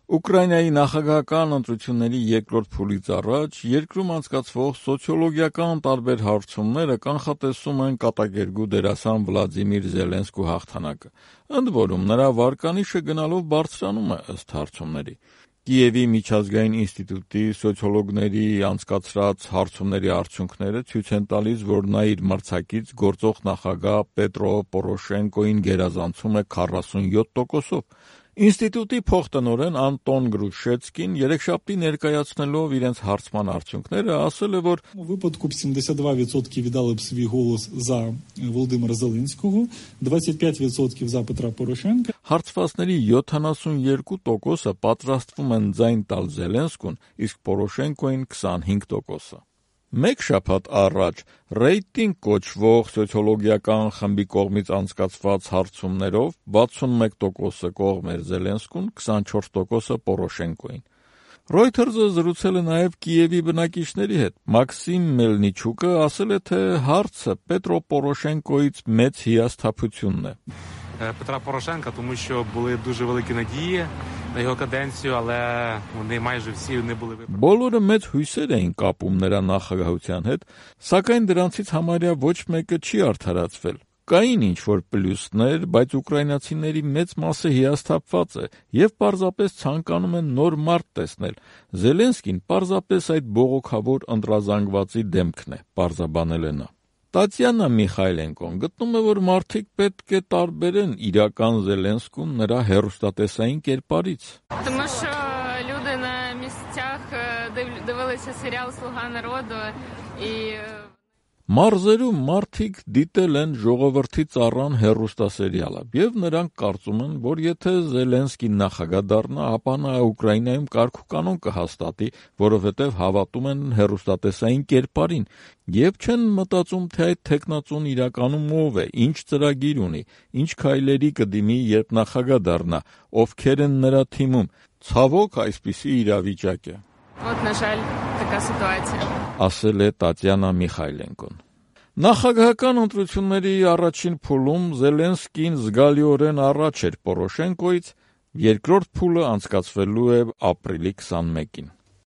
Ուկրաինայի նախագահական ընտրությունների երկրորդ փուլից առաջ երկրում անցկացվող սոցիոլոգիական տարբեր հարցումները կանխատեսում են կատակերգու դերասան Վլադիմիր Զելենսկու հաղթանակը, ընդ որում նրա վարկանիշը գնալով բարձրանում է ըստ հարցումների։ Կիևի միջազգային ինստիտուտի սոցիոլոգների անցկացրած հարցումների արդյունքները ցույց են տալիս, որ նա իր մրցակից գործող նախագահ Պետրո Պորոշենկոին գերազանցում է 47%-ով։ Ինստիտուտի փոխտնօրեն Անտոն Գրուշեցկին երեքշաբթի ներկայացնելով իրենց հարցման արդյունքները ասել է, որ У випадку 72% віддали б свій голос за Володимира Зеленського, 25% за Петра Порошенка. Հարցվածների 72%-ը պատրաստվում են ձայն տալ Զելենսկուն, իսկ Պորոշենկոին 25%-ը։ Մեկ շաբաթ առաջ ռեյտինգ կոչվող սոցիոլոգիական խմբի կողմից անցկացված հարցումներով 61%-ը կողմ էր Զելենսկուն, 24%-ը Պորոշենկոին։ Reuters-ը զրուցել է նաև Կիևի բնակիչների հետ։ Մաքսիմ Մելնիչուկը ասել է, թե հարցը Պետրո Պորոշենկոից մեծ հիասթափությունն է։ Петра Порошенка, тому що були дуже великі надії на його каденцію, але вони майже всі не були виправдані. Բոլորը մեծ հույսեր էին կապում նրա նախագահության հետ, սակայն դրանցից համարյա ոչ մեկը չի արդարացվել։ Կային ինչ-որ պլյուսներ, բայց ուկրաինացիների մեծ մասը հիասթափված է և պարզապես ցանկանում են նոր մարդ տեսնել։ Զելենսկին պարզապես այդ բողոքավոր ընտրազանգվածի դեմքն է, պարզաբանել է նա։ Տատյանա Միխայլենկոն գտնում է, որ մարդիկ պետք է տարբերեն իրական Զելենսկուն նրա հեռուստատեսային կերպարից։ Тому що люди на місцях дивилися серіал «Слуга народу» і Մարզերում մարդիկ դիտել են «Ժողովրդի ծառան» հեռուստասերիալը և նրանք կարծում են, որ եթե Զելենսկին նախագահ դառնա, ապա նա Ուկրաինայում կարգ ու կանոն կհաստատի, որովհետև հավատում են հեռուստատեսային կերպարին և չեն մտածում, թե այդ թեկնածուն իրականում ով է, ինչ ծրագիր ունի, ինչ քայլերի կդիմի, երբ նախագահ դառնա, ովքեր են նրա թիմում։ Ցավոք, այսպիսի իրավիճակ է։ от, на жаль, така ситуація. Ասել է Տատյանա Միխայլենկոն։ Նախագահական ընտրությունների առաջին փուլում Զելենսկին զգալիորեն առաջ էր Պորոշենկոից, երկրորդ փուլը անցկացվելու է ապրիլի 21-ին։